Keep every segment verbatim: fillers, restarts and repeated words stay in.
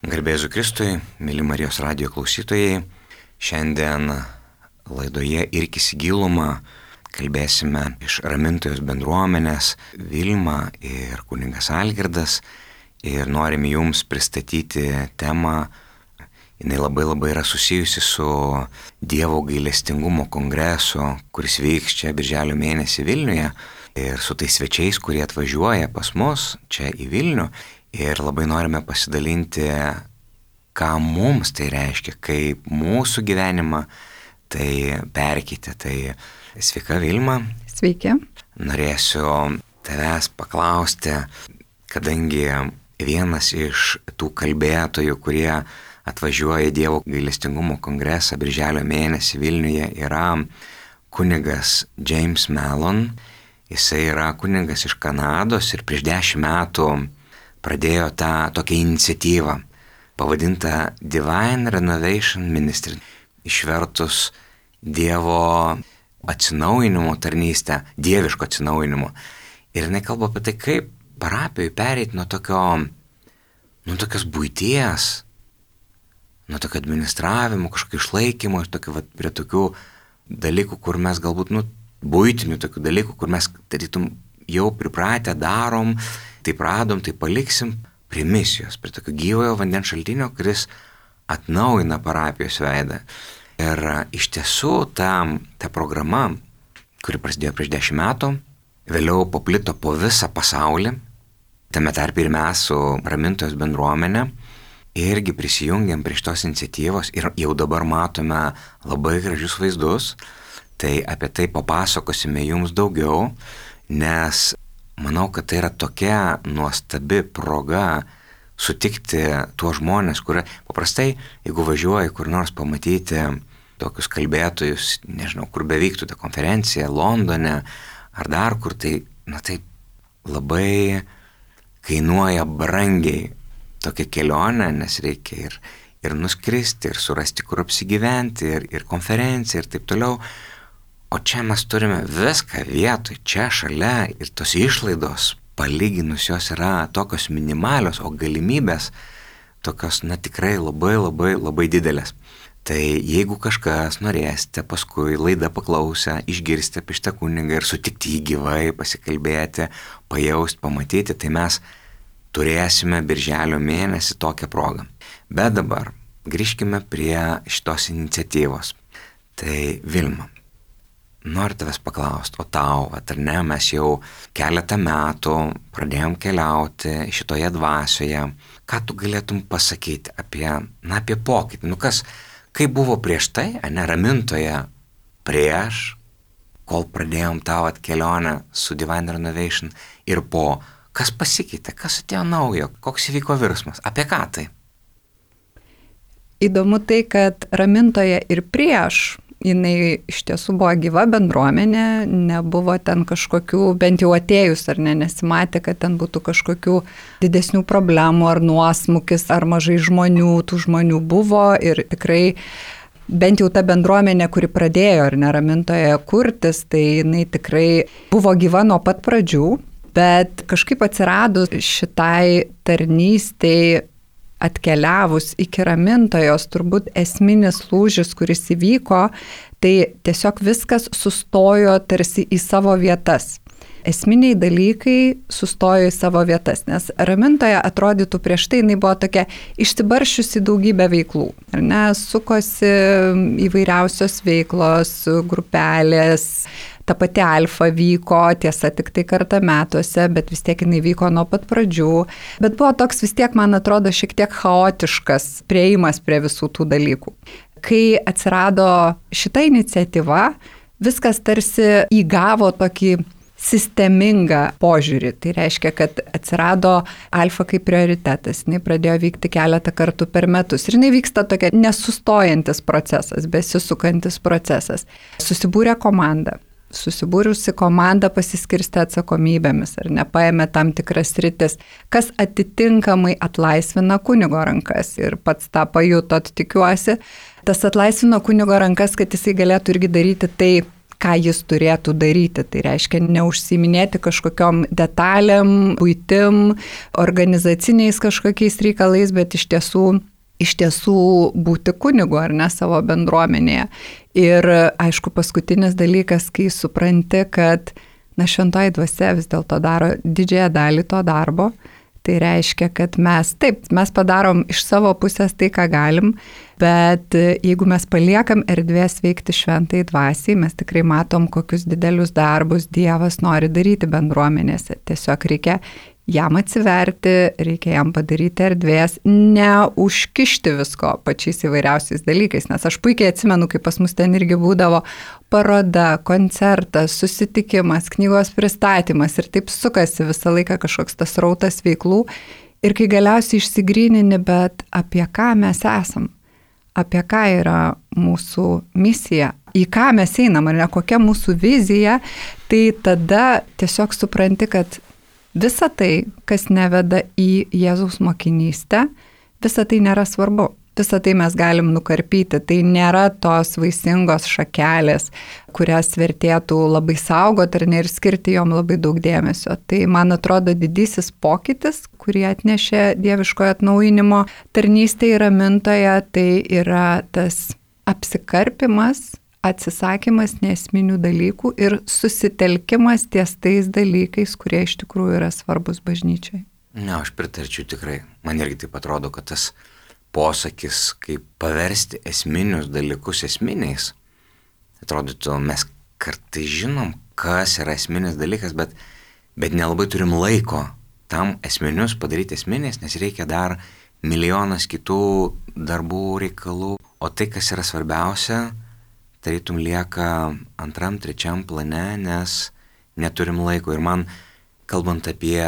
Garbėzu Kristui, mėly Marijos radijo klausytojai, šiandien laidoje Irkis į gilumą kalbėsime iš Ramintojos bendruomenės Vilma ir kunigas Algirdas ir norime jums pristatyti temą. Jinai labai labai yra susijusi su Dievo gailestingumo kongresu, kuris vyks čia birželio mėnesį Vilniuje ir su tais svečiais, kurie atvažiuoja pas mus čia į Vilnių. Ir labai norime pasidalinti, ką mums tai reiškia, kaip mūsų gyvenimą tai perkeitė. Tai sveika Vilma. Sveiki. Norėsiu tavęs paklausti, kadangi vienas iš tų kalbėtojų, kurie atvažiuoja į Dievo gailestingumo kongresą birželio mėnesį Vilniuje, yra kunigas James Mellon. Jisai yra kunigas iš Kanados ir prieš dešimt metų pradėjo tą tokią iniciatyvą, pavadintą Divine Renovation Ministry, išvertus Dievo atsinaujinimo tarnystę, dieviško atsinaujinimo. Ir jinai kalba apie tai, kaip parapijoje pereiti nuo tokio, nuo tokios buities, nuo tokio administravimo, kažkokio išlaikymo, ir tokio, vat, prie tokių dalykų, kur mes galbūt, nu, buitinių tokių dalykų, kur mes tarytum jau pripratę darom, taip radom, taip paliksim, prie misijos, prie tokio gyvojo vandens šaltinio, kuris atnaujina parapijos veidą. Ir iš tiesų ta, ta programa, kuri prasidėjo prieš dešimt metų, vėliau paplito po visą pasaulį, tame tarpe ir mes su Ramintojos bendruomenė, irgi prisijungiam prie šitos iniciatyvos ir jau dabar matome labai gražius vaizdus, tai apie tai papasakosime jums daugiau, nes manau, kad tai yra tokia nuostabi proga sutikti tuos žmonės, kurie paprastai, jeigu važiuoji kur nors pamatyti tokius kalbėtojus, nežinau, kur bevyktų ta konferencija, Londone ar dar kur, tai, na tai labai kainuoja brangiai tokia kelionė, nes reikia ir, ir nuskristi, ir surasti, kur apsigyventi, ir, ir konferencija, ir taip toliau. O čia mes turime viską vietoj, čia šalia, ir tos išlaidos palyginus jos yra tokios minimalios, o galimybės tokios, na tikrai labai labai labai didelės. Tai jeigu kažkas norėsite paskui laidą paklausę, išgirsti apie šitą kunigą ir sutikti jį gyvai, pasikalbėti, pajausti, pamatyti, tai mes turėsime birželio mėnesį tokią progą. Bet dabar grįžkime prie šitos iniciatyvos. Tai Vilma, noriu tavęs paklausti, o tau, ar ne, mes jau keletą metų pradėjom keliauti šitoje dvasioje. Ką tu galėtum pasakyti apie, na, apie pokytį? Nu kas, kaip buvo prieš tai, ne, Ramintoje prieš, kol pradėjom tavo kelionę su Divine Renovation ir po, kas pasikeitė, kas atėjo naujo, koks įvyko virsmas, apie ką tai? Įdomu tai, kad Ramintoje ir prieš jinai iš tiesų buvo gyva bendruomenė, nebuvo ten kažkokių, bent jau atėjus ar ne, nesimatė, kad ten būtų kažkokių didesnių problemų ar nuosmukis, ar mažai žmonių, tų žmonių buvo ir tikrai bent jau ta bendruomenė, kuri pradėjo ar ne Ramintoje kurtis, tai jinai tikrai buvo gyva nuo pat pradžių, bet kažkaip atsiradus šitai tarnystei atkeliavus iki Ramintojos, turbūt esminis lūžis, kuris įvyko, tai tiesiog viskas sustojo tarsi į savo vietas. Esminiai dalykai sustojo į savo vietas, nes Ramintoje atrodytų prieš tai jinai buvo tokia išsibaršiusi daugybę veiklų. Ar ne, sukosi įvairiausios veiklos, grupelės, ta pati Alfa vyko, tiesa, tik tai kartą metuose, bet vis tiek jinai vyko nuo pat pradžių. Bet buvo toks vis tiek, man atrodo, šiek tiek chaotiškas prieimas prie visų tų dalykų. Kai atsirado šita iniciatyva, viskas tarsi įgavo tokį sistemingą požiūrį. Tai reiškia, kad atsirado Alfa kaip prioritetas. Jinai pradėjo vykti keletą kartų per metus. Ir jinai vyksta tokia nesustojantis procesas, besisukantis procesas. Susibūrė komanda. Susibūrusi komanda pasiskirstė atsakomybėmis ar nepaėmė tam tikras sritis, kas atitinkamai atlaisvina kunigo rankas ir pats tą pajutot, tikiuosi. Tas atlaisvino kunigo rankas, kad jisai galėtų irgi daryti tai, ką jis turėtų daryti. Tai reiškia neužsiiminėti kažkokiom detalėm, buitim, organizaciniais kažkokiais reikalais, bet iš tiesų, iš tiesų būti kunigu ar ne savo bendruomenėje. Ir aišku, paskutinis dalykas, kai supranti, kad na, šventoji dvasia vis dėlto daro didžiąją dalį to darbo, tai reiškia, kad mes, taip, mes padarom iš savo pusės tai, ką galim, bet jeigu mes paliekam erdvės veikti šventai dvasiai, mes tikrai matom, kokius didelius darbus Dievas nori daryti bendruomenėse. Tiesiog reikia jam atsiverti, reikia jam padaryti erdvės, neužkišti visko pačiais įvairiausiais dalykais, nes aš puikiai atsimenu, kai pas mus ten irgi būdavo paroda, koncertas, susitikimas, knygos pristatymas ir taip sukasi visą laiką kažkoks tas rautas veiklų ir kai galiausiai išsigrynini, bet apie ką mes esam, apie ką yra mūsų misija, į ką mes einam, ar ne, kokia mūsų vizija, tai tada tiesiog supranti, kad visa tai, kas neveda į Jėzaus mokinystę, visa tai nėra svarbu. Visą tai mes galim nukarpyti. Tai nėra tos vaisingos šakelės, kurias vertėtų labai saugoti ir, ne, ir skirti jom labai daug dėmesio. Tai, man atrodo, didysis pokytis, kurį atnešė dieviškojo atnaujinimo tarnystė ir ramintoje, tai yra tas apsikarpimas, atsisakymas neesminių dalykų ir susitelkimas ties tais dalykais, kurie iš tikrųjų yra svarbus bažnyčiai. Ne, aš pritarčiau tikrai. Man irgi taip atrodo, kad tas posakis, kaip paversti esminius dalykus esminiais, atrodytų, mes kartais žinom, kas yra esminis dalykas, bet, bet nelabai turim laiko tam esminius padaryti esminiais, nes reikia dar milijonas kitų darbų, reikalų, o tai, kas yra svarbiausia, tarytum lieka antram, trečiam plane, nes neturim laiko. Ir man, kalbant apie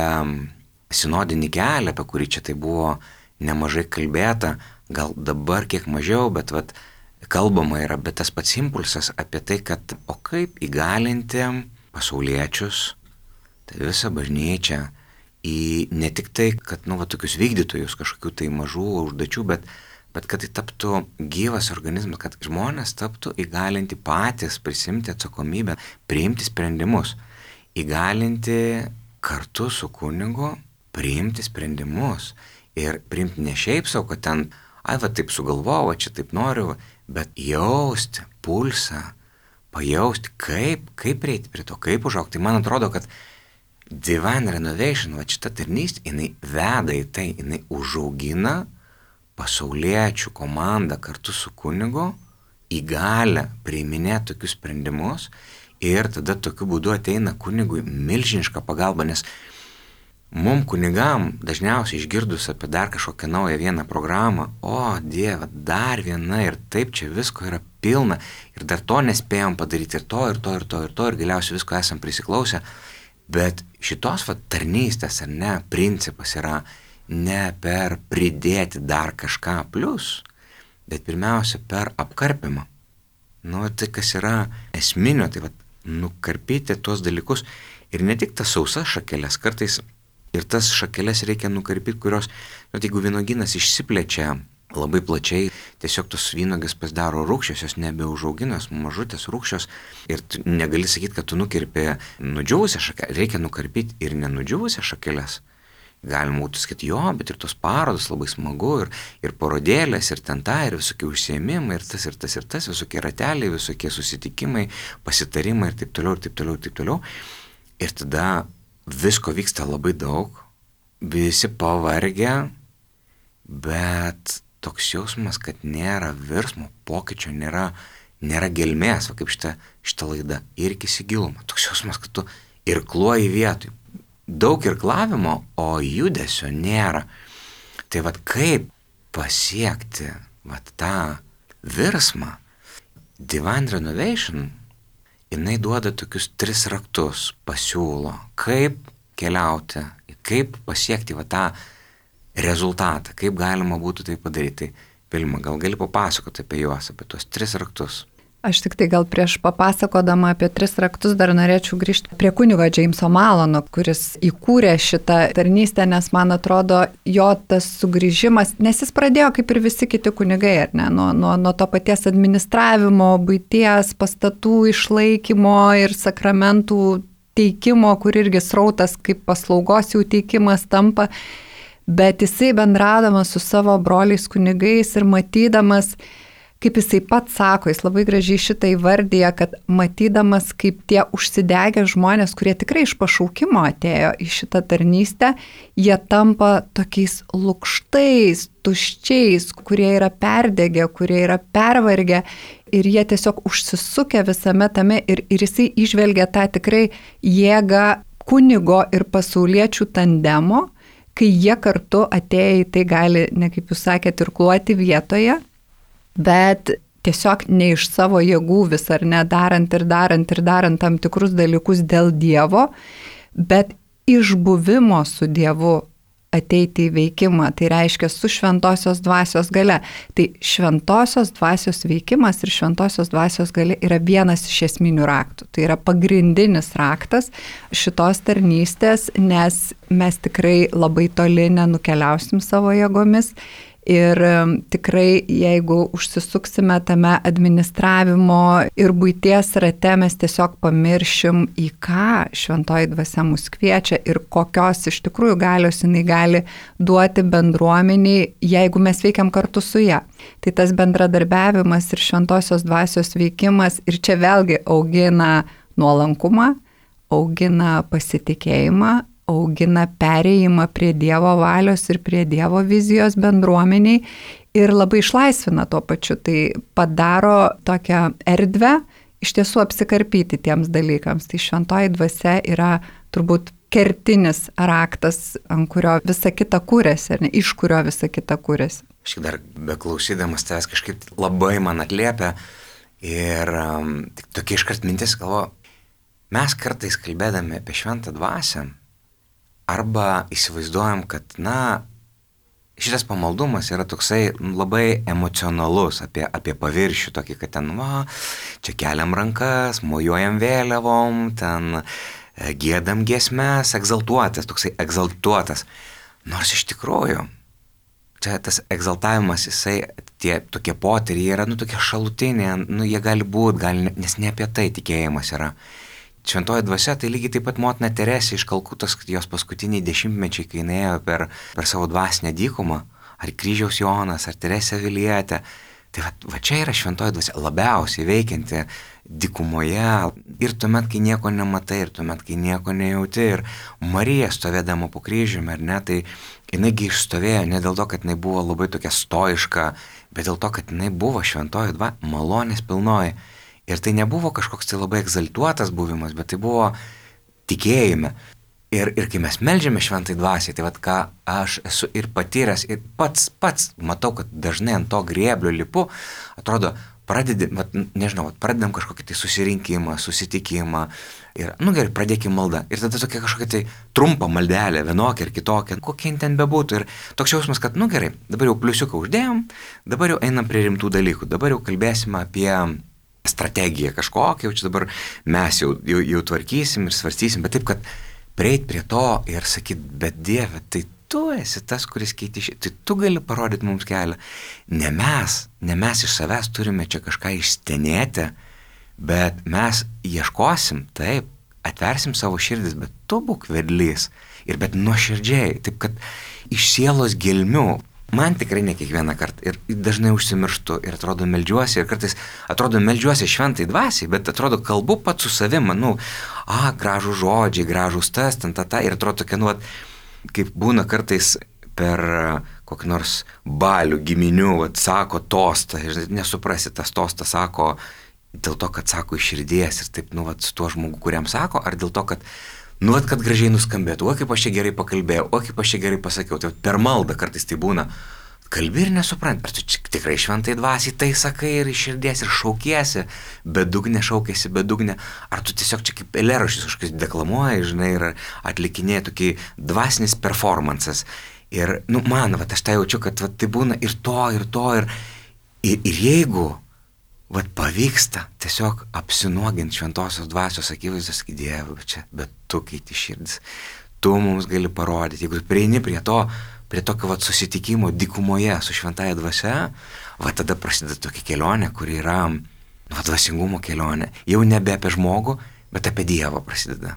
sinodinį kelią, apie kurį čia tai buvo nemažai kalbėta, gal dabar kiek mažiau, bet vat, kalbama yra, bet tas pats impulsas apie tai, kad o kaip įgalinti pasauliečius, tai visą bažnyčią, į ne tik tai, kad nu, va, tokius vykdytojus kažkokių tai mažų užduočių, bet, bet kad tai taptų gyvas organizmas, kad žmonės taptų įgalinti patys prisimti atsakomybę, priimti sprendimus, įgalinti kartu su kunigu priimti sprendimus. Ir priimti ne šiaip savo, kad ten, ai va taip sugalvojau, čia taip noriu, bet jausti pulsą, pajausti, kaip, kaip prieiti prie to, kaip užaukti. Tai man atrodo, kad Divine Renovation, va šita tarnystė, jinai veda į tai, jinai užaugina pasauliečių komandą kartu su kunigu, įgalę priiminėti tokius sprendimus ir tada tokiu būdu ateina kunigui milžiniška pagalba, nes mum kunigam dažniausiai išgirdus apie dar kažkokią naują vieną programą, o Dieve, dar viena ir taip čia visko yra pilna ir dar to nespėjom padaryti ir to, ir to, ir to, ir to, ir galiausiai visko esam prisiklausę. Bet šitos va, tarnystės ar ne principas yra ne per pridėti dar kažką plus, bet pirmiausia per apkarpimą. Nu, tai kas yra esminio, tai va, nukarpyti tuos dalykus ir ne tik tas sausas šakelės, kartais ir tas šakeles reikia nukarpyti, kurios, nu, jeigu vynuogynas išsiplečia labai plačiai, tiesiog tos vynuogės pasidaro rūgščios, jos nebeužauginos, mažutės rūgščios ir tu negali sakyti, kad tu nukirpi nudžiūvusią šakelę, reikia nukarpyti ir nenudžiūvusią šakeles. Galima būtų sakyti, jo, bet ir tos parodos labai smagu ir, ir parodėlės, ir ten ta, ir visokie užsiėmimai, ir tas, ir tas, ir tas, visokie rateliai, visokie susitikimai, pasitarimai ir taip toliau, ir taip toliau, ir taip toliau. Ir tada visko vyksta labai daug, visi pavargę, bet toks jausmas, kad nėra virsmo, pokyčio, nėra, nėra gelmės, va kaip šita, šita laida, irkis į gilumą. Toks jausmas, kad tu irkluoji vietoj. Daug irklavimo, o judesio nėra. Tai va kaip pasiekti va tą virsmą? Divine Renovation jinai duoda tokius tris raktus, pasiūlo, kaip keliauti, kaip pasiekti va tą rezultatą, kaip galima būtų tai padaryti. Tai, Vilma, gal gali papasakoti apie juos, apie tuos tris raktus? Aš tik tai gal prieš papasakodama apie tris raktus dar norėčiau grįžti prie kunigo Jameso Malono, kuris įkūrė šitą tarnystę, nes man atrodo, jo tas sugrįžimas, nes jis pradėjo kaip ir visi kiti kunigai, ar ne, nuo, nuo, nuo to paties administravimo, buities, pastatų išlaikymo ir sakramentų teikimo, kur irgi srautas kaip paslaugos jų teikimas tampa, bet jisai bendradamas su savo broliais kunigais ir matydamas, kaip jisai pats sako, jis labai gražiai šitą įvardyja, kad matydamas, kaip tie užsidegę žmonės, kurie tikrai iš pašaukimo atėjo į šitą tarnystę, jie tampa tokiais lukštais, tuščiais, kurie yra perdegę, kurie yra pervargę ir jie tiesiog užsisukę visame tame ir, ir jisai išvelgia tą tikrai jėgą kunigo ir pasauliečių tandemo, kai jie kartu atėję į tai gali, ne kaip jūs sakėte, irkluoti vietoje, bet tiesiog ne iš savo jėgų vis ar ne darant ir darant ir darant tam tikrus dalykus dėl Dievo, bet iš buvimo su Dievu ateiti į veikimą, tai reiškia su šventosios dvasios gale. Tai šventosios dvasios veikimas ir šventosios dvasios gale yra vienas iš esminių raktų. Tai yra pagrindinis raktas šitos tarnystės, nes mes tikrai labai toli nenukeliausim savo jėgomis. Ir tikrai, jeigu užsisuksime tame administravimo ir buities rate, mes tiesiog pamiršim, į ką šventoji dvasia mus kviečia ir kokios iš tikrųjų galios jinai gali duoti bendruomeniai, jeigu mes veikiam kartu su ja. Tai tas bendradarbiavimas ir šventosios dvasios veikimas ir čia vėlgi augina nuolankumą, augina pasitikėjimą, augina perėjimą prie Dievo valios ir prie Dievo vizijos bendruomeniai ir labai išlaisvina tuo pačiu. Tai padaro tokią erdvę iš tiesų apsikarpyti tiems dalykams. Tai šventoji dvasia yra turbūt kertinis raktas, ant kurio visa kita kūrėsi, ne, iš kurio visa kita kūrėsi. Aš dar beklausydamas tavęs kažkaip labai man atliepia ir um, tik tokia iškart mintis galvo, mes kartais kalbėdami apie šventą dvasią, arba įsivaizduojam, kad, na, šitas pamaldumas yra toksai labai emocionalus, apie, apie paviršių, tokį, kad ten, va, čia keliam rankas, mojuojam vėliavom, ten giedam giesmes, egzaltuotas, toksai egzaltuotas. Nors iš tikrųjų, čia tas egzaltavimas, jisai, tie tokie potyriai yra, nu, tokie šalutiniai, nu, jie gali būti, gali, nes ne apie tai tikėjimas yra. Šventoji dvasia, tai lygiai taip pat motina Teresė iš Kalkutos, jos paskutiniai dešimtmečiai, kai jinai ėjo per, per savo dvasinę dykumą, ar Kryžiaus Jonas, ar Teresė Avilietė, tai va, va čia yra šventoji dvasia labiausiai veikianti dykumoje ir tuomet, kai nieko nematai, ir tuomet, kai nieko nejauti, ir Marija stovėdama po kryžiumi, ar ne, tai jinaigi išstovėjo ne dėl to, kad jinai buvo labai tokia stoiška, bet dėl to, kad jinai buvo šventoji dvasia, malonės pilnoji. Ir tai nebuvo kažkoks tai labai egzaltuotas buvimas, bet tai buvo tikėjime. Ir, ir kai mes meldžiame šventai dvasiai, tai vat ką aš esu ir patyręs, ir pats, pats matau, kad dažnai ant to grėblio lipu, atrodo, pradedi, vat, nežinau, vat, pradedam kažkokį tai susirinkimą, susitikimą, ir, nu gerai, pradėkim maldą. Ir tada tokia kažkokia tai trumpa maldelė, vienokia ir kitokia, kokia ten bebūtų. Ir toks jausmas, kad, nu gerai, dabar jau pliusiuką uždėjom, dabar jau einam prie rimtų dalykų, dabar jau kalbėsime apie strategiją kažkokią, jau čia dabar mes jau, jau, jau tvarkysim ir svarstysim, bet taip, kad prieit prie to ir sakyt, bet Dieve, tai tu esi tas, kuris keiti šį, tai tu gali parodyti mums kelią. Ne mes, ne mes iš savęs turime čia kažką išstenėti, bet mes ieškosim, taip, atversim savo širdis, bet tu būk vedlys ir bet nuoširdžiai, taip kad iš sielos gelmių. Man tikrai ne kiekvieną kartą ir dažnai užsimirštu ir atrodo meldžiuosi ir kartais atrodo meldžiuosi šventai dvasiai, bet atrodo kalbu pats su savim, nu, a, gražų žodžiai, gražus tas, ten, ta, ta, ir atrodo tokia, nu, kaip būna kartais per kokį nors balių giminių, vat, sako tostą, nesuprasi, tas tostas sako dėl to, kad sako iš širdies ir taip, nu, vat, su tuo žmogu, kuriam sako, ar dėl to, kad nu, at, kad gražiai nuskambėtų, o kaip aš čia gerai pakalbėjau, o kaip aš čia gerai pasakiau, tai per maldą kartais tai būna, kalbi ir nesuprant, ar tu tikrai šventai dvasiai tai sakai ir iš širdies ir šaukiesi, bedugnė šaukiesi, bedugnė, ar tu tiesiog čia kaip eilėraščius kažkas deklamuoji, žinai, ir atlikinėji tokį dvasinis performances. Ir, nu, man, va, aš tai jaučiu, kad va, tai būna ir to, ir to, ir, ir, ir jeigu vat pavyksta tiesiog apsinuoginti šventosios dvasios akivaizdos, sakyti, Dieve, čia, bet tu keiti širdis, tu mums gali parodyti, jeigu prieini prie to, prie tokio vat susitikimo dykumoje su šventąja dvasia, va tada prasideda tokia kelionė, kuri yra va, dvasingumo kelionė, jau nebe apie žmogų, bet apie Dievą prasideda.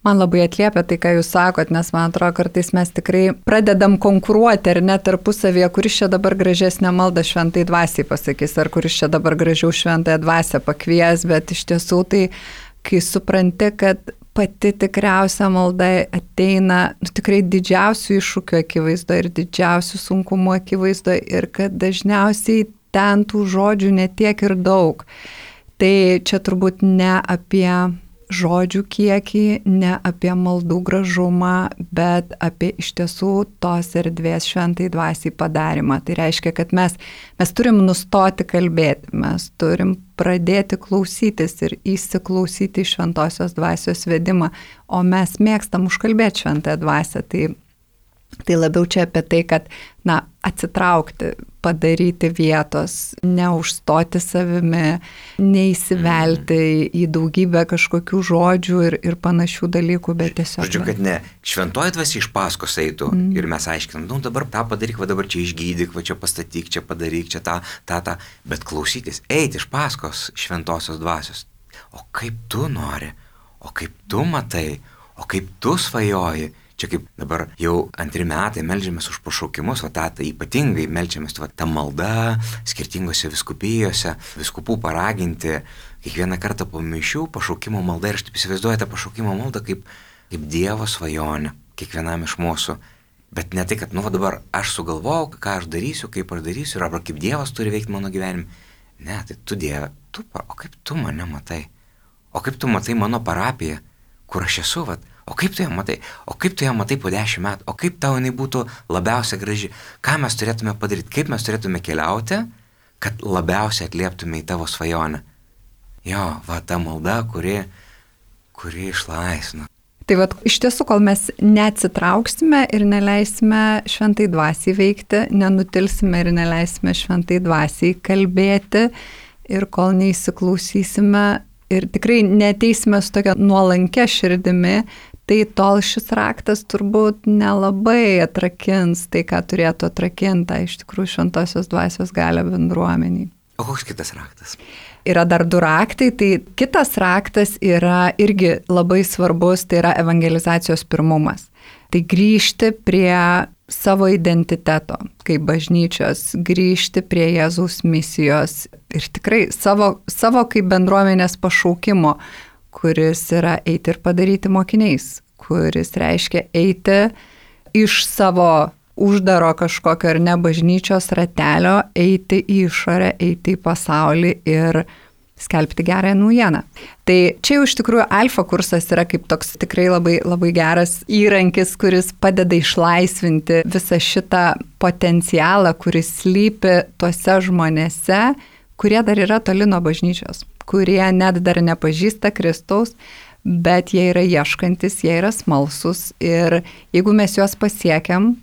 Man labai atliepia tai, ką jūs sakot, nes man atrodo, kartais mes tikrai pradedam konkuruoti ar net tarpusavėje, kuris čia dabar gražesnę maldą šventai dvasiai pasakys, ar kuris čia dabar gražiau šventąją dvasią pakvies, bet iš tiesų tai, kai supranti, kad pati tikriausia malda ateina nu, tikrai didžiausių iššūkių akivaizdo ir didžiausių sunkumų akivaizdo ir kad dažniausiai ten tų žodžių netiek ir daug. Tai čia turbūt ne apie žodžių kiekį, ne apie maldų gražumą, bet apie iš tiesų tos erdvės šventai dvasiai padarimą. Tai reiškia, kad mes, mes turim nustoti kalbėti, mes turim pradėti klausytis ir įsiklausyti į šventosios dvasios vedimą, o mes mėgstam užkalbėti šventąją dvasią. Tai Tai labiau čia apie tai, kad, na, atsitraukti, padaryti vietos, neužstoti savimi, neįsivelti mm. į daugybę kažkokių žodžių ir, ir panašių dalykų, bet tiesiog... Žodžiu, kad ne, šventoji dvasia iš paskos eitų mm. ir mes aiškinam, nu dabar tą padaryk, va dabar čia išgydyk, va čia pastatyk, čia padaryk, čia tą, tą, tą, bet klausytis, eiti iš paskos šventosios dvasios. O kaip tu nori, o kaip tu matai, o kaip tu svajoji. Čia kaip dabar jau antri metai meldžiamės už pašaukimus, o tą tai ypatingai meldžiamės va, tą maldą skirtingose viskupijose, viskupų paraginti kiekvieną kartą po mišių pašaukimo maldą ir aš taip įsivaizduoju tą pašaukimo maldą kaip, kaip Dievo svajonę kiekvienam iš mūsų. Bet ne tai, kad nu va dabar aš sugalvojau, ką aš darysiu, kaip aš darysiu, arba kaip Dievas turi veikti mano gyvenime. Ne, tai tu Dieve, tu, o kaip tu mane matai? O kaip tu matai mano parapiją, kur aš esu, vat? O kaip tu ją matai? O kaip tu ją matai po dešimt metų? O kaip tau jinai būtų labiausia graži? Ką mes turėtume padaryti? Kaip mes turėtume keliauti, kad labiausiai atlieptume į tavo svajonę? Jo, va ta malda, kuri, kuri išlaisvina. Tai va, iš tiesų, kol mes neatsitrauksime ir neleisime šventai dvasiai veikti, nenutilsime ir neleisime šventai dvasiai kalbėti ir kol neįsiklausysime ir tikrai neteisime su tokia nuolankia širdimi, tai tol šis raktas turbūt nelabai atrakins tai, ką turėtų atrakinti, iš tikrųjų šventosios dvasios galią bendruomeniai. O koks kitas raktas? Yra dar du raktai, tai kitas raktas yra irgi labai svarbus, tai yra evangelizacijos pirmumas. Tai grįžti prie savo identiteto, kaip bažnyčios, grįžti prie Jėzaus misijos ir tikrai savo, savo kaip bendruomenės pašaukimo, kuris yra eiti ir padaryti mokiniais, kuris reiškia eiti iš savo uždaro kažkokio ar ne bažnyčios ratelio, eiti į išorę, eiti į pasaulį ir skelbti gerąją naujieną. Tai čia jau iš tikrųjų alfa kursas yra kaip toks tikrai labai, labai geras įrankis, kuris padeda išlaisvinti visą šitą potencialą, kuris slypi tuose žmonėse, kurie dar yra toli nuo bažnyčios, kurie net dar nepažįsta Kristaus, bet jie yra ieškantis, jie yra smalsus ir jeigu mes juos pasiekiam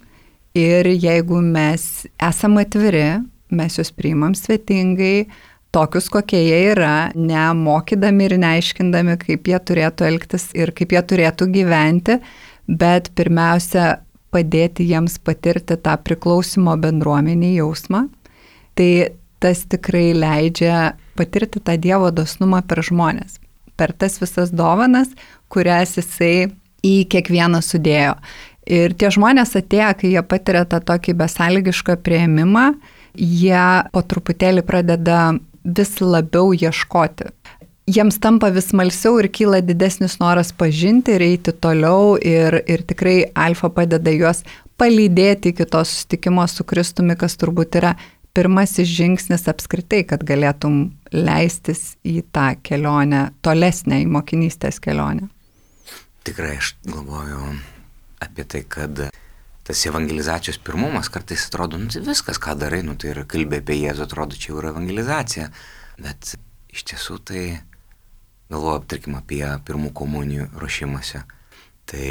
ir jeigu mes esam atviri, mes juos priimam svetingai, tokius, kokie jie yra, nemokydami ir neaiškindami, kaip jie turėtų elgtis ir kaip jie turėtų gyventi, bet pirmiausia padėti jiems patirti tą priklausimo bendruomenį jausmą. Tai tas tikrai leidžia patirti tą Dievo dosnumą per žmonės, per tas visas dovanas, kurias jisai į kiekvieną sudėjo. Ir tie žmonės atėję, kai jie patiria tą tokį besąlygišką priėmimą, jie po truputėlį pradeda vis labiau ieškoti. Jiems tampa vis smalsiau ir kyla didesnis noras pažinti ir eiti toliau ir, ir tikrai alfa padeda juos palydėti iki to susitikimo su Kristumi, kas turbūt yra pirmasis žingsnis apskritai, kad galėtum leistis į tą kelionę, tolesnę į mokinystės kelionę. Tikrai aš galvoju apie tai, kad tas evangelizacijos pirmumas kartais atrodo, nu tai viskas, ką darai, nu tai yra kalbė apie Jėzų, atrodo, čia jau yra evangelizacija. Bet iš tiesų tai galvoju, tarkim, apie pirmų komunijų ruošimąsi. Tai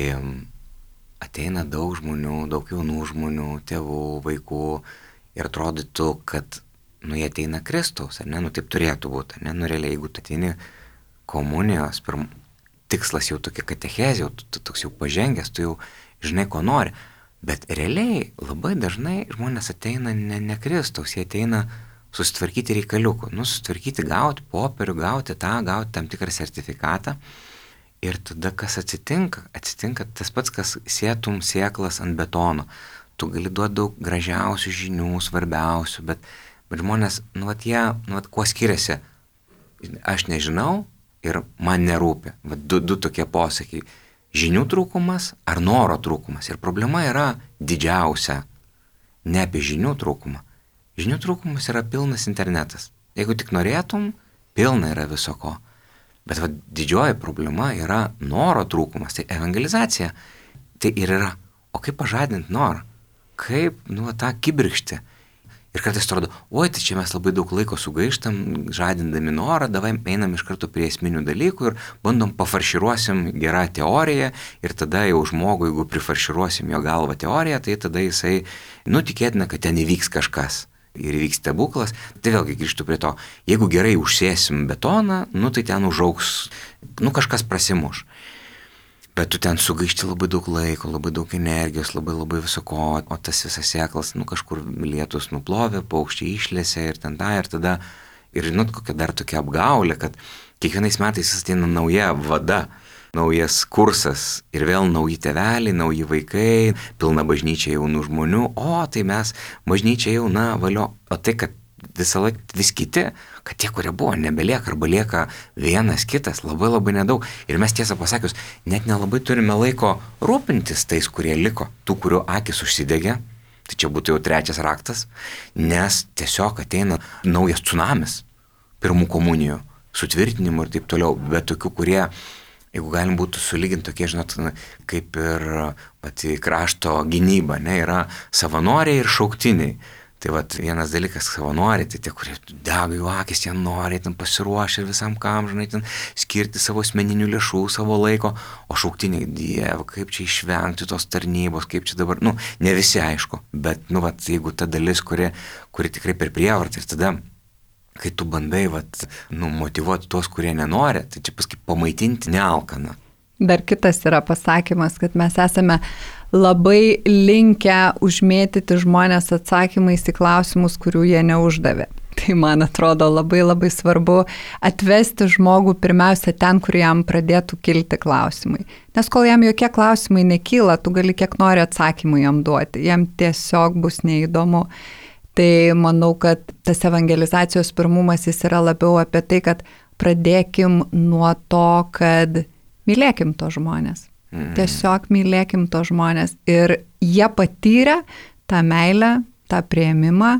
ateina daug žmonių, daug jaunų žmonių, tėvų, vaikų ir atrodytų, kad nu jie ateina Kristaus, ar ne, nu taip turėtų būti, ar ne, nu realiai, jeigu tu ateini komunijos, pirm, tikslas jau tokia katechezė, jau tu, tu toks jau pažengęs, tu jau žinai, ko nori, bet realiai labai dažnai žmonės ateina ne, ne Kristaus, jie ateina susitvarkyti reikaliukų, nu susitvarkyti, gauti popierių, gauti tą, gauti tam tikrą sertifikatą ir tada kas atsitinka, atsitinka tas pats, kas sėtum sėklas ant betono, tu gali duoti daug gražiausių žinių, svarbiausių, bet, bet žmonės, nu vat jie, nu vat kuo skiriasi, aš nežinau ir man nerūpi, vat du, du tokie posakiai, žinių trūkumas ar noro trūkumas ir problema yra didžiausia, ne apie žinių trūkumą, žinių trūkumas yra pilnas internetas, jeigu tik norėtum, pilna yra viso ko, bet vat didžioji problema yra noro trūkumas, tai evangelizacija, tai ir yra, o kaip pažadinti norą, kaip, nu, tą kibirkštį. Ir kartais atrodo, oi, tai čia mes labai daug laiko sugaištam, žadindami norą, davai einam iš karto prie esminių dalykų ir bandom pafarširuosim gerą teoriją ir tada jau žmogui, jeigu prifarširuosim jo galvą teoriją, tai tada jisai, nu, tikėtina, kad ten įvyks kažkas ir įvyks stebuklas. Tai vėlgi grįžtu prie to, jeigu gerai užsėsim betoną, nu, tai ten užaugs, nu, kažkas prasimuš. Bet tu ten sugaišti labai daug laiko, labai daug energijos, labai labai visoko, o tas visas sėklas, nu kažkur lietus nuplovė, paukščiai išlėsė ir ten tą ir tada, ir žinot, kokia dar tokia apgaulė, kad kiekvienais metais ateina nauja vada, naujas kursas ir vėl nauji tėveliai, nauji vaikai, pilna bažnyčia jaunų žmonių, o tai mes bažnyčia jauna, valio, o tai, kad visą laiką vis kiti, kad tie, kurie buvo, nebelieka arba lieka vienas kitas, labai labai nedaug. Ir mes tiesą pasakius, net nelabai turime laiko rūpintis tais, kurie liko, tų, kurių akis užsidegė, tai čia būtų jau trečias raktas, nes tiesiog ateina naujas tsunamis pirmų komunijų, sutvirtinimų ir taip toliau, bet tokių, kurie, jeigu galim būtų sulyginti tokie, žinot, kaip ir pati krašto gynyba, ne, yra savanoriai ir šauktiniai. Tai vat vienas dalykas savanoriai, tai tie, kurie dega jų akis, jie nori, ten pasiruošę visam kam, žinai, ten skirti savo asmeninių lėšų, savo laiko, o šauktiniai, Dieve, kaip čia išvengti tos tarnybos, kaip čia dabar, nu, ne visi aišku, bet, nu, vat, jeigu ta dalis, kuri, kuri tikrai per prievartą ir tada, kai tu bandai, vat, nu, motyvuoti tuos, kurie nenori, tai čia paskui pamaitinti nealkaną. Dar kitas yra pasakymas, kad mes esame labai linkę užmėtyti žmonės atsakymais į klausimus, kurių jie neuždavė. Tai man atrodo labai labai svarbu atvesti žmogų pirmiausia ten, kur jam pradėtų kilti klausimai. Nes kol jam jokie klausimai nekyla, tu gali kiek nori atsakymų jam duoti, jam tiesiog bus neįdomu. Tai manau, kad tas evangelizacijos pirmumas jis yra labiau apie tai, kad pradėkim nuo to, kad mylėkim to žmonės. Tiesiog mylėkim to žmonės ir jie patyrė tą meilę, tą priėmimą,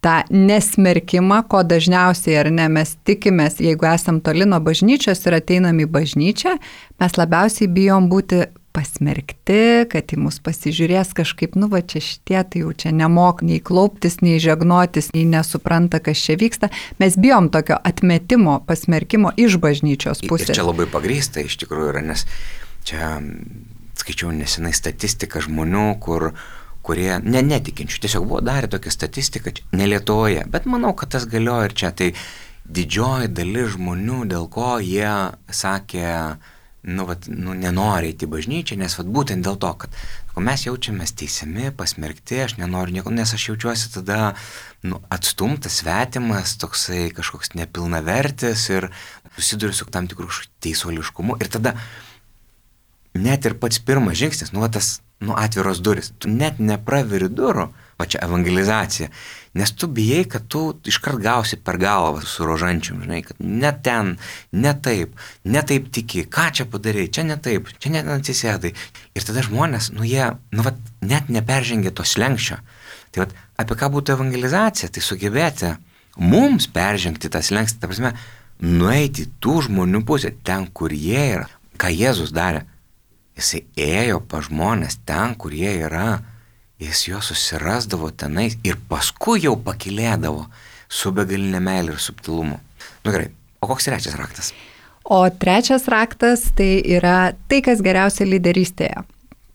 tą nesmerkimą, ko dažniausiai ar ne mes tikimės, jeigu esam toli nuo bažnyčios ir ateinam į bažnyčią, mes labiausiai bijom būti pasmerkti, kad į mus pasižiūrės kažkaip, nu va čia šitie, tai jau čia nemok nei klauptis, nei žegnotis, nei nesupranta, kas čia vyksta. Mes bijom tokio atmetimo, pasmerkimo iš bažnyčios pusės. Ir čia labai pagrįsta iš tikrųjų yra, nes čia skaičiau nesenai statistiką žmonių, kur, kurie ne, netikinčių, tiesiog buvo darę tokią statistiką, ne Lietuvoje, bet manau, kad tas galioja ir čia. Tai didžioji dalis žmonių, dėl ko jie sakė, nu, vat, nu nenori eiti į bažnyčią, nes vat, būtent dėl to, kad mes jaučiamės teisiami, pasmerkti, aš nenoriu nieko, nes aš jaučiuosi tada nu, atstumtas, svetimas, toksai kažkoks nepilnavertis ir susiduriu su tam tikrų teisuoliškumu ir tada net ir pats pirmas žingsnis, nu, va, tas nu, atviros duris, tu net nepraveri durų, va čia evangelizacija, nes tu bijai, kad tu iškart gausi per galvą su rožančium, žinai, kad ne ten, ne taip, ne taip tiki, ką čia padarai, čia ne taip, čia net atsisėdai. Ir tada žmonės, nu jie, nu va, net neperžengia to slenkščio. Tai va, apie ką būtų evangelizacija, tai sugebėti mums peržengti tą slenkstį, ta prasme, nueiti tų žmonių pusę, ten, kur jie yra, ką Jėzus darė. Jisai ėjo pa žmonės ten, kur jie yra, jis juos susirasdavo tenais ir paskui jau pakilėdavo su begalinė meilė ir subtilumu. Nu gerai, o koks trečias raktas? O trečias raktas tai yra tai, kas geriausia lyderystėje.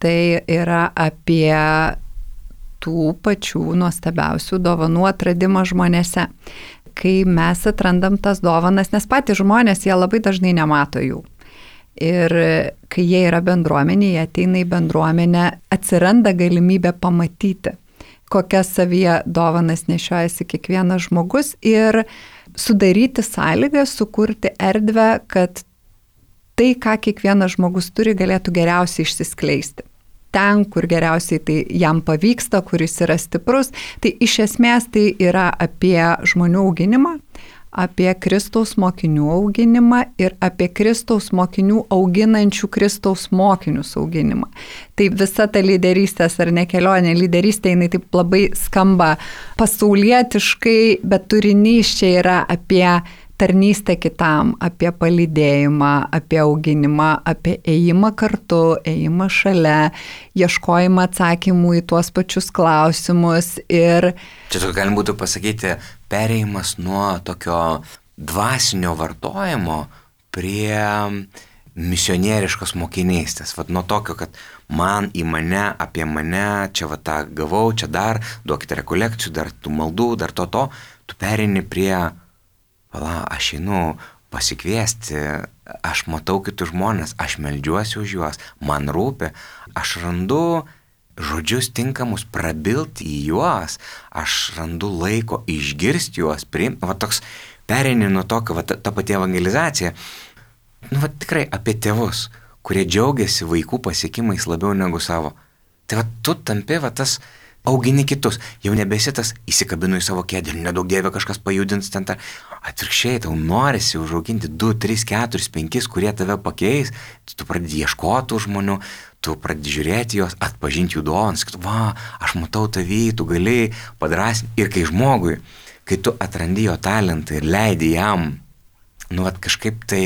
Tai yra apie tų pačių nuostabiausių dovanų atradimą žmonėse. Kai mes atrandam tas dovanas, nes patys žmonės, jie labai dažnai nemato jų. Ir kai jie yra bendruomenė, jie ateina į bendruomenę, atsiranda galimybė pamatyti, kokias savyje dovanas nešiojasi kiekvienas žmogus ir sudaryti sąlygą, sukurti erdvę, kad tai, ką kiekvienas žmogus turi, galėtų geriausiai išsiskleisti. Ten, kur geriausiai tai jam pavyksta, kuris yra stiprus, tai iš esmės tai yra apie žmonių auginimą, apie Kristaus mokinių auginimą ir apie Kristaus mokinių auginančių Kristaus mokinius auginimą. Tai visa ta lyderystės ar ne kelionė, lyderystė, jinai taip labai skamba pasaulietiškai, bet turinys čia yra apie tarnystę kitam, apie palydėjimą, apie auginimą, apie ėjimą kartu, ėjimą šalia, ieškojimą atsakymų į tuos pačius klausimus ir... Čia galim būtų pasakyti, perėjimas nuo tokio dvasinio vartojimo prie misionieriškos mokinystės. Vat nuo tokio, kad man į mane, apie mane, čia va tą gavau, čia dar, duokite rekolekcijų, dar tų maldų, dar to to, tu pereini prie... Vala, aš einu pasikviesti, aš matau kitus žmonės, aš meldžiuosi už juos, man rūpi, aš randu žodžius tinkamus prabilti į juos, aš randu laiko išgirsti juos, priimti, va toks pereini nuo tokio, va ta, ta pati evangelizacija, nu va tikrai apie tėvus, kurie džiaugiasi vaikų pasiekimais labiau negu savo. Tai va tu tampi va tas augini kitus, jau nebesi tas įsikabinu į savo kėdę, nedaug dievė kažkas pajudins ten tą. Atvirkščiai, tau norisi užauginti du, tris, keturis, penkis, kurie tave pakeis, tu pradedi ieškoti žmonių, tu pradedi žiūrėti juos, atpažinti jų dovanas, kad va, aš matau tavį, tu gali padrasinti. Ir kai žmogui, kai tu atrandi jo talentą ir leidi jam, nu vat kažkaip tai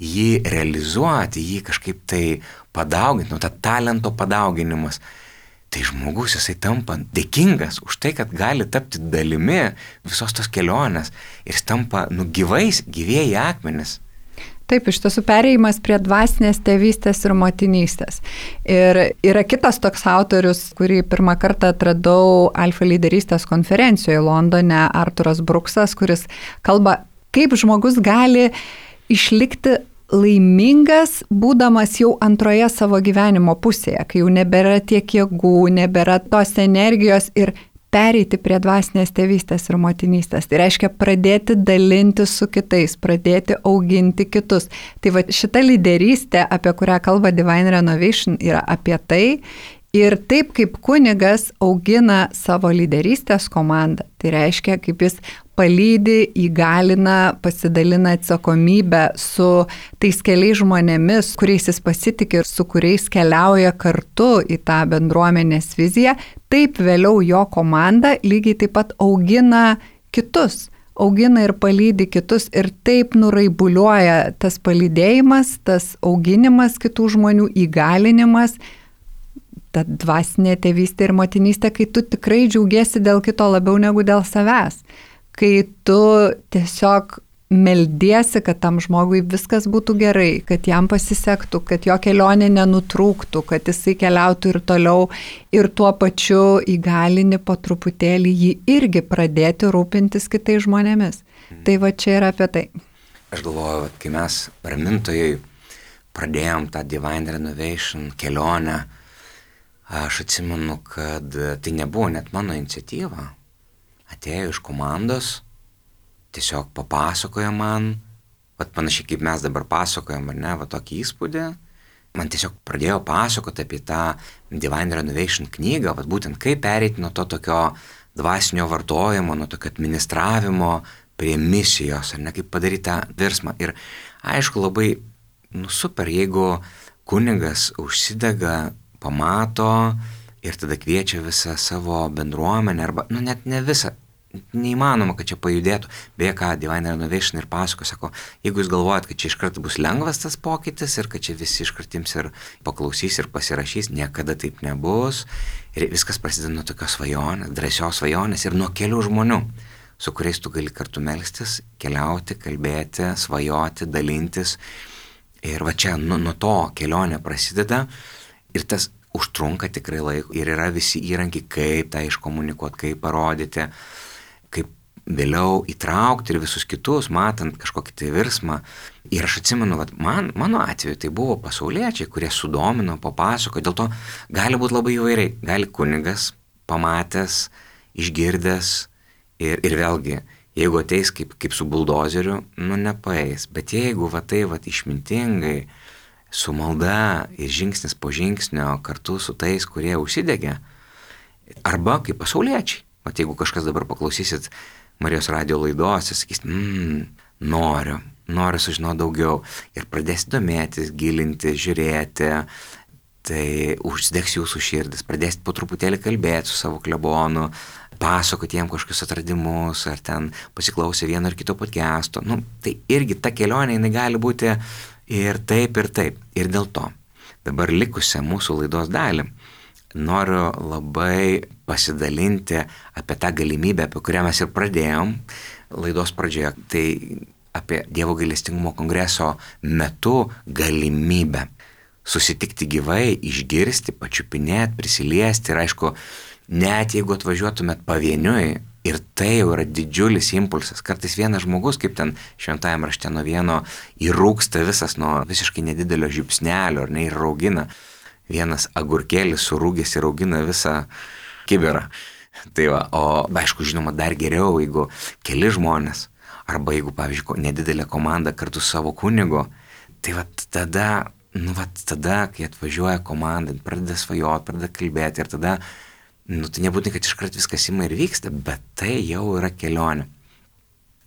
jį realizuoti, jį kažkaip tai padauginti, nu ta talento padauginimas, tai žmogus jisai tampa dėkingas už tai, kad gali tapti dalimi visos tos kelionės ir jis tampa nu gyvais, gyvieji akmenys. Taip, iš tiesų perėjimas prie dvasinės tėvystės ir motinystės. Ir yra kitas toks autorius, kurį pirmą kartą atradau Alfa lyderystės konferencijoje Londone, Arturas Bruksas, kuris kalba, kaip žmogus gali išlikti laimingas, būdamas jau antroje savo gyvenimo pusėje, kai jau nebėra tiek jėgų, nebėra tos energijos ir pereiti prie dvasinės tėvystės ir motinystės. Tai reiškia pradėti dalinti su kitais, pradėti auginti kitus. Tai va šita lyderystė, apie kurią kalba Divine Renovation, yra apie tai. Ir taip kaip kunigas augina savo lyderystės komandą, tai reiškia, kaip jis palydi, įgalina, pasidalina atsakomybę su tais keliais žmonėmis, kuriais jis pasitikė ir su kuriais keliauja kartu į tą bendruomenės viziją, taip vėliau jo komanda lygiai taip pat augina kitus, augina ir palydi kitus ir taip nuraibuliuoja tas palydėjimas, tas auginimas kitų žmonių, įgalinimas, ta dvasinė tėvystė ir motinystė, kai tu tikrai džiaugiesi dėl kito labiau negu dėl savęs. Kai tu tiesiog meldiesi, kad tam žmogui viskas būtų gerai, kad jam pasisektų, kad jo kelionė nenutrūktų, kad jisai keliautų ir toliau ir tuo pačiu įgalini po truputėlį jį irgi pradėti rūpintis kitais žmonėmis. Mm. Tai va čia yra apie tai. Aš galvoju, kai mes ramintojai pradėjom tą Divine Renovation kelionę, aš atsimenu, kad tai nebuvo net mano iniciatyva. Atėjo iš komandos, tiesiog papasakojo man, vat panašiai kaip mes dabar pasakojam, ar ne, va tokį įspūdį. Man tiesiog pradėjo pasakoti apie tą Divine Renovation knygą, vat būtent kaip pereiti nuo to tokio dvasinio vartojimo, nuo tokio administravimo prie misijos, ar ne, kaip padaryti tą virsmą. Ir aišku, labai nu, super, jeigu kunigas užsidega, pamato ir tada kviečia visą savo bendruomenę, arba, nu net ne visą, neįmanoma, kad čia pajudėtų. Beje, ką Divine Renovation ir pasako, sako, jeigu jūs galvojat, kad čia iškart bus lengvas tas pokytis ir kad čia visi iškartims ir paklausys ir pasirašys, niekada taip nebus. Ir viskas prasideda nuo tokios svajonės, drąsios svajonės ir nuo kelių žmonių, su kuriais tu gali kartu melstis, keliauti, kalbėti, svajoti, dalintis. Ir va čia nuo, nuo to kelionė prasideda. Ir tas užtrunka tikrai laiko ir yra visi įrankiai, kaip tą iškomunikuoti, kaip parodyti, kaip vėliau įtraukti ir visus kitus, matant kažkokį tai virsmą. Ir aš atsimenu, vat, man, mano atveju tai buvo pasauliečiai, kurie sudomino, papasako, dėl to gali būti labai įvairiai. Gali kunigas, pamatęs, išgirdęs ir, ir vėlgi, jeigu ateis kaip, kaip su buldozeriu, nu nepaeis. Bet jeigu va tai va išmintingai, su malda ir žingsnis po žingsnio kartu su tais, kurie užsidegė, arba kaip pasauliečiai. Vat jeigu kažkas dabar paklausysit Marijos radijo laidos ir sakys, mmm, noriu, noriu sužinoti daugiau ir pradėsit domėtis, gilinti, žiūrėti, tai užsidegs jūsų širdis, pradėsit po truputėlį kalbėti su savo klebonu, pasakoti jiem kažkokius atradimus, ar ten pasiklausę vieno ar kito podcast'o. Nu, tai irgi ta kelionė, jinai gali būti ir taip, ir taip. Ir dėl to dabar likusią mūsų laidos dalį noriu labai pasidalinti apie tą galimybę, apie kurią mes ir pradėjom laidos pradžioje. Tai apie Dievo gailestingumo kongreso metu galimybę susitikti gyvai, išgirsti, pačiupinėti, prisiliesti ir aišku, net jeigu atvažiuotumėt pavieniui, ir tai jau yra didžiulis impulsas. Kartais vienas žmogus, kaip ten šventajame rašte nuo vieno, įrūksta visas nuo visiškai nedidelio žiupsnelio, ar ne, ir raugina. Vienas agurkėlis surūgęs ir augina visą kibirą. Tai va, o aišku, žinoma, dar geriau, jeigu keli žmonės, arba jeigu, pavyzdžiui, nedidelė komanda kartu su savo kunigu, tai va tada, nu va tada, kai atvažiuoja komanda, pradeda svajoti, pradeda kalbėti ir tada, nu tai nebūtinai, kad iškart viskas ima ir vyksta, bet tai jau yra kelionė.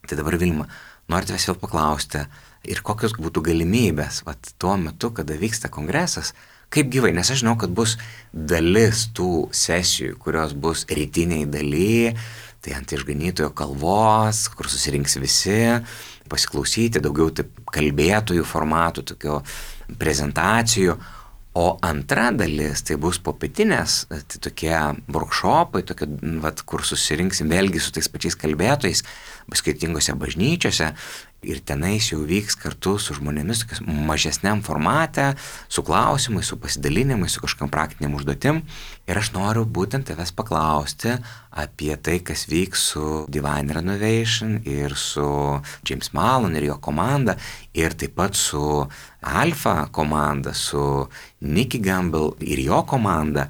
Tai dabar Vilma, noriu tavęs vėl paklausti, ir kokios būtų galimybės, va tuo metu, kada vyksta kongresas, kaip gyvai, nes aš žinau, kad bus dalis tų sesijų, kurios bus rytiniai daly, tai ant išganytojo kalvos, kur susirinks visi, pasiklausyti, daugiau taip kalbėtojų formatų, tokio prezentacijų. O antra dalis, tai bus popietinės, tai tokie workshopai, tokie, vat, kur susirinksim vėlgi su tais pačiais kalbėtojais, skirtingose bažnyčiose ir tenais jau vyks kartu su žmonėmis tokias mažesniam formate, su klausimais, su pasidalinimais, su kažkam praktiniam užduotim. Ir aš noriu būtent tavęs paklausti apie tai, kas vyks su Divine Renovation ir su James Mallon ir jo komanda, ir taip pat su Alfa komanda, su Nicky Gamble ir jo komanda,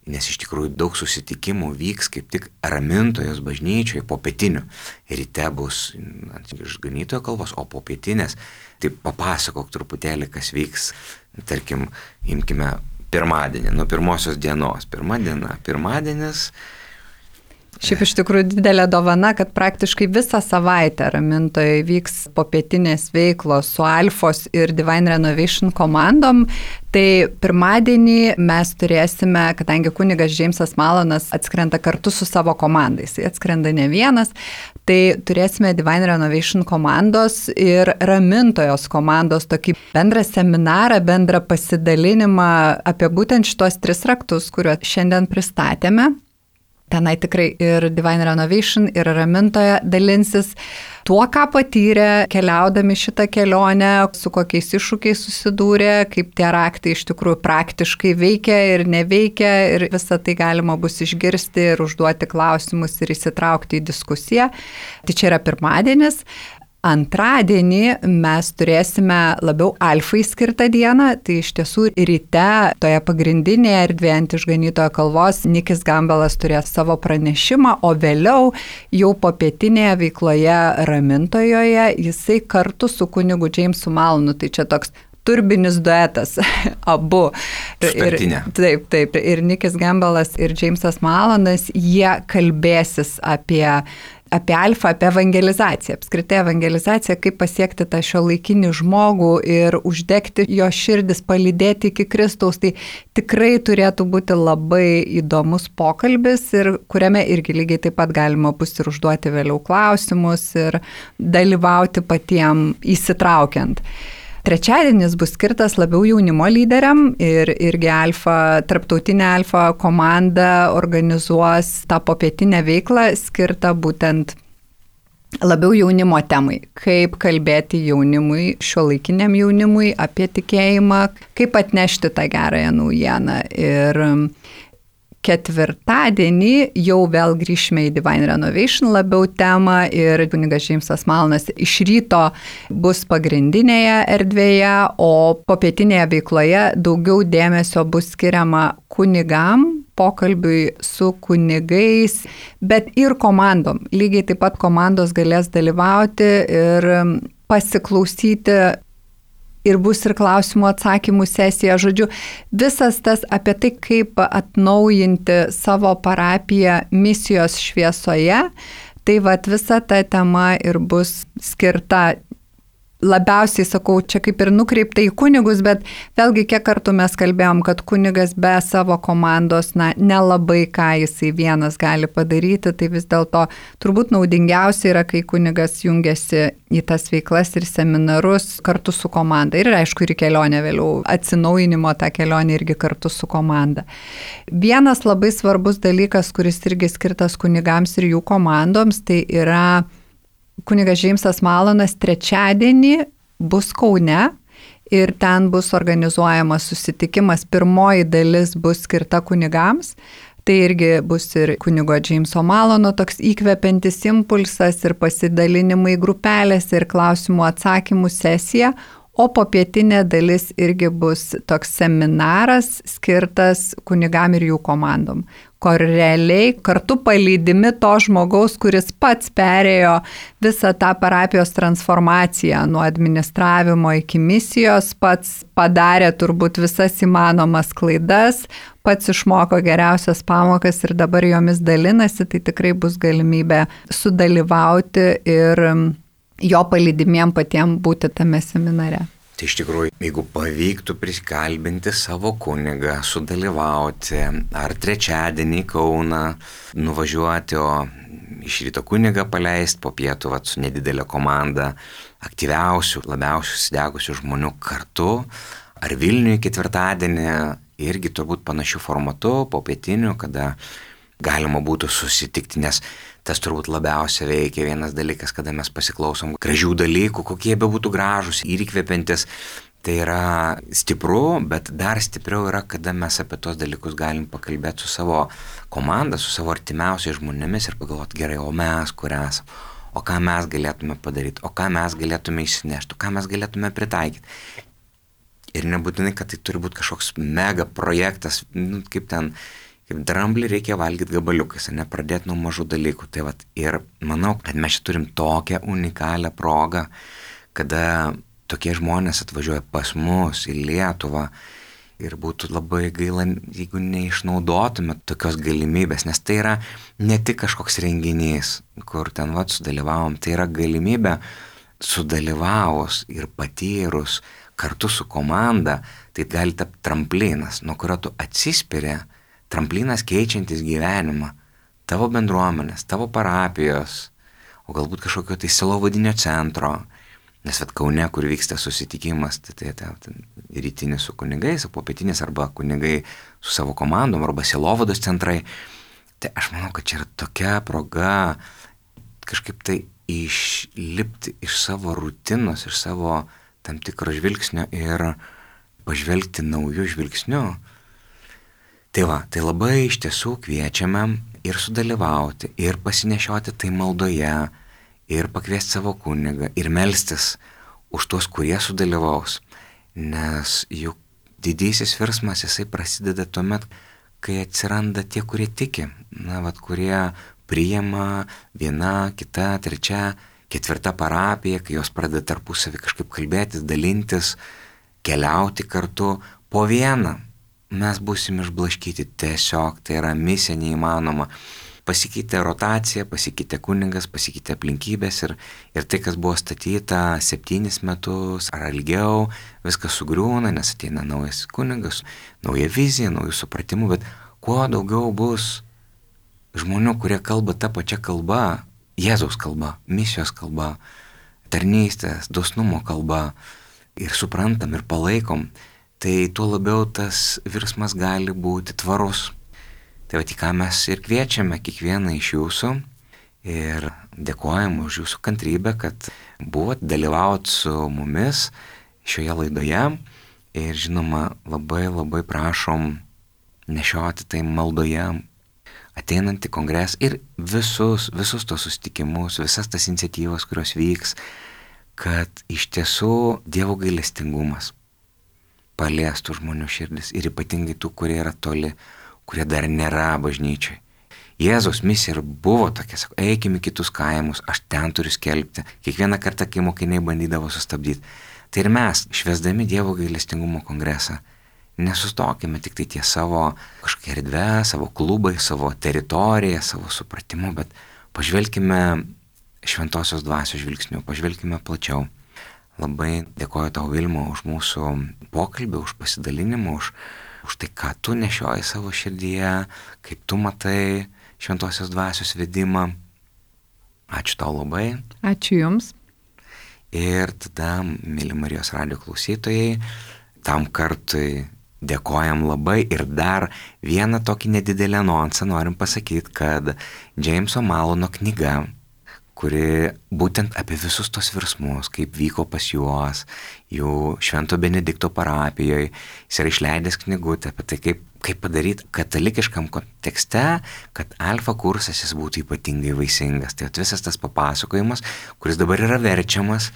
nes iš tikrųjų daug susitikimų vyks kaip tik Ramintojos bažnyčioje po pietinių. Ryte bus ant išganytojo kalvos, o po pietinės, tai papasakok truputėlį, kas vyks, tarkim, imkime pirmadienį, nuo pirmosios dienos. Pirma diena, pirmadienis. Šiaip iš tikrųjų didelė dovana, kad praktiškai visą savaitę Ramintoje vyks popietinės veiklos su Alfos ir Divine Renovation komandom. Tai pirmadienį mes turėsime, kadangi kunigas Jamesas Mallonas atskrenda kartu su savo komandais, jis atskrenda ne vienas, tai turėsime Divine Renovation komandos ir Ramintojos komandos tokį bendrą seminarą, bendrą pasidalinimą apie būtent šitos tris raktus, kuriuos šiandien pristatėme. Tenai tikrai ir Divine Renovation, ir Ramintoje dalinsis tuo, ką patyrė keliaudami šitą kelionę, su kokiais iššūkiais susidūrė, kaip tie raktai iš tikrųjų praktiškai veikia ir neveikia, ir visą tai galima bus išgirsti ir užduoti klausimus ir įsitraukti į diskusiją. Tai čia yra pirmadienis. Antradienį mes turėsime labiau Alfai skirtą dieną, tai iš tiesų ryte toje pagrindinėje erdvėje ant išganytojo kalvos Nickys Gamble'as turės savo pranešimą, o vėliau jau popietinėje veikloje Ramintojoje jisai kartu su kunigu Jamesu Mallonu, tai čia toks turbinis duetas, abu. Ir, taip, taip, ir Nickys Gamble'as ir Jamesas Mallonas, jie kalbėsis apie apie Alfą, apie evangelizaciją, apskritai evangelizaciją, kaip pasiekti tą šiuolaikinį žmogų ir uždegti jo širdis, palydėti iki Kristaus. Tai tikrai turėtų būti labai įdomus pokalbis ir kuriame irgi lygiai taip pat galima bus ir užduoti vėliau klausimus ir dalyvauti patiem įsitraukiant. Trečiadienis bus skirtas labiau jaunimo lyderiam ir irgi Alfa, tarptautinė Alfa komanda organizuos tą popietinę veiklą skirtą būtent labiau jaunimo temai, kaip kalbėti jaunimui, šiuolaikiniam jaunimui apie tikėjimą, kaip atnešti tą gerąją naujieną. Ir ketvirtadienį jau vėl grįšime į Divine Renovation labiau temą ir kunigas Džeimsas Malonas iš ryto bus pagrindinėje erdvėje, o popietinėje veikloje daugiau dėmesio bus skiriama kunigam, pokalbiui su kunigais, bet ir komandom. Lygiai taip pat komandos galės dalyvauti ir pasiklausyti. Ir bus ir klausimų atsakymų sesija. Žodžiu, visas tas apie tai, kaip atnaujinti savo parapiją misijos šviesoje, tai vat visa ta tema ir bus skirta. Labiausiai, sakau, čia kaip ir nukreipta į kunigus, bet vėlgi kiek kartų mes kalbėjom, kad kunigas be savo komandos, na, nelabai ką jisai vienas gali padaryti, tai vis dėlto turbūt naudingiausia yra, kai kunigas jungiasi į tas veiklas ir seminarus kartu su komanda. Ir aišku, ir kelionė vėliau, atsinaujinimo tą kelionę irgi kartu su komanda. Vienas labai svarbus dalykas, kuris irgi skirtas kunigams ir jų komandoms, tai yra kunigas Džeimsas Malonas trečiadienį bus Kaune ir ten bus organizuojamas susitikimas. Pirmoji dalis bus skirta kunigams. Tai irgi bus ir kunigo Džeimso Malono toks įkvepiantis impulsas ir pasidalinimai grupelės ir klausimų atsakymų sesija. O popietinė dalis irgi bus toks seminaras skirtas kunigam ir jų komandom, kur realiai kartu palydimi to žmogaus, kuris pats perėjo visą tą parapijos transformaciją nuo administravimo iki misijos, pats padarė turbūt visas įmanomas klaidas, pats išmoko geriausias pamokas ir dabar jomis dalinasi, tai tikrai bus galimybė sudalyvauti ir jo palydimiem patiem būti tame seminare. Tai iš tikrųjų, jeigu pavyktų prisikalbinti savo kunigą, sudalyvauti, ar trečiadienį į Kauną nuvažiuoti, o iš ryto kunigą paleisti, po pietų vat, su nedidelė komanda aktyviausių, labiausiai susidegusių žmonių kartu, ar Vilniuje ketvirtadienį irgi turbūt panašių formatų, po pietinių, kada galima būtų susitikti, nes tas turbūt labiausiai veikia vienas dalykas, kada mes pasiklausom gražių dalykų, kokie be būtų gražus ir įkvepiantis. Tai yra stipru, bet dar stipriau yra, kada mes apie tos dalykus galim pakalbėti su savo komanda, su savo artimiausiais žmonėmis ir pagalvoti, gerai, o mes kur esam, o ką mes galėtume padaryti, o ką mes galėtume įsinešti, o ką mes galėtume pritaikyti. Ir nebūtinai, kad tai turi būti kažkoks mega projektas, nu, kaip ten, kaip dramblį reikia valgyti gabaliukais, ne pradėti nuo mažų dalykų. Tai vat, ir manau, kad mes čia turim tokią unikalią progą, kada tokie žmonės atvažiuoja pas mus į Lietuvą ir būtų labai gaila, jeigu neišnaudotume tokios galimybės, nes tai yra ne tik kažkoks renginys, kur ten vat sudalyvavom, tai yra galimybė sudalyvavus ir patyrus kartu su komanda, tai gali tapti tramplinas, nuo kurio tu atsispiri, tramplinas keičiantis gyvenimą, tavo bendruomenės, tavo parapijos, o galbūt kažkokio tai sielovadinio centro, nes vat Kaune, kur vyksta susitikimas, tai tai, tai, tai rytinis su kunigais, o popietinis arba kunigai su savo komandom, arba sielovados centrai, tai aš manau, kad čia yra tokia proga kažkaip tai išlipti iš savo rutinos, iš savo tam tikro žvilgsnio ir pažvelgti naujų žvilgsnių. Tai va, tai labai iš tiesų kviečiame ir sudalyvauti, ir pasinešioti tai maldoje, ir pakviesti savo kunigą, ir melstis už tuos, kurie sudalyvaus. Nes juk didysis virsmas, jisai prasideda tuomet, kai atsiranda tie, kurie tiki, na, vat, kurie priima viena, kita, trečia, ketvirta parapija, kai jos pradeda tarpusavį kažkaip kalbėtis, dalintis, keliauti kartu po vieną. Mes būsim išblaškyti tiesiog, tai yra misija neįmanoma. Pasikeitė rotacija, pasikeitė kunigas, pasikeitė aplinkybės ir, ir tai, kas buvo statyta septynis metus ar ilgiau, viskas sugriūna, nes ateina naujas kunigas, nauja vizija, naujų supratimų, bet kuo daugiau bus žmonių, kurie kalba tą pačią kalbą, Jėzaus kalba, misijos kalba, tarnystės, dosnumo kalba ir suprantam ir palaikom, tai tuo labiau tas virsmas gali būti tvarus. Tai va, į ką mes ir kviečiame kiekvieną iš jūsų ir dėkojam už jūsų kantrybę, kad buvot dalyvaut su mumis šioje laidoje ir žinoma labai labai prašom nešioti tai maldoje ateinantį kongresą ir visus, visus tos susitikimus, visas tas iniciatyvas, kurios vyks, kad iš tiesų Dievo gailestingumas paliestų žmonių širdis ir ypatingai tų, kurie yra toli, kurie dar nėra bažnyčiai. Jėzaus misija ir buvo tokia, sako, eikime į kitus kaimus, aš ten turiu skelbti. Kiekvieną kartą, kai mokiniai bandydavo sustabdyti. Tai ir mes, švęsdami Dievo gailestingumo kongresą, nesustokime tik tai ties savo kažkokia erdvė, savo klubai, savo teritoriją, savo supratimu, bet pažvelkime šventosios dvasios žvilgsniu, pažvelkime plačiau. Labai dėkoju tau, Vilma, už mūsų pokalbį, už pasidalinimą, už, už tai, ką tu nešioji savo širdyje, kaip tu matai šventosios dvasios vedimą. Ačiū tau labai. Ačiū Jums. Ir tada, mėly Marijos radijo klausytojai, tam kartui dėkojam labai ir dar vieną tokį nedidelį anonsą norim pasakyti, kad Džeimso Malono knyga, kuri būtent apie visus tos virsmus, kaip vyko pas juos, jų Švento Benedikto parapijoje, jis yra išleidęs knygutę apie tai, kaip, kaip padaryti katalikiškam kontekste, kad alfa kursas jis būtų ypatingai vaisingas. Tai visas tas papasakojimas, kuris dabar yra verčiamas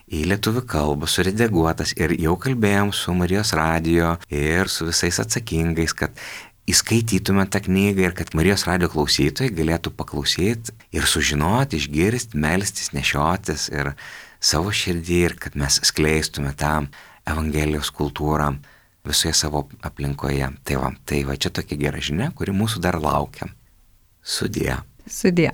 į lietuvių kalbą, suredaguotas ir jau kalbėjom su Marijos radijo ir su visais atsakingais, kad įskaitytume tą knygą ir kad Marijos radijo klausytojai galėtų paklausyti ir sužinoti, išgirsti, melstis, nešiotis ir savo širdį ir kad mes skleistume tą Evangelijos kultūrą visoje savo aplinkoje. Tai va, tai va čia tokia gera žinia, kuri mūsų dar laukia. Sudie. Sudie.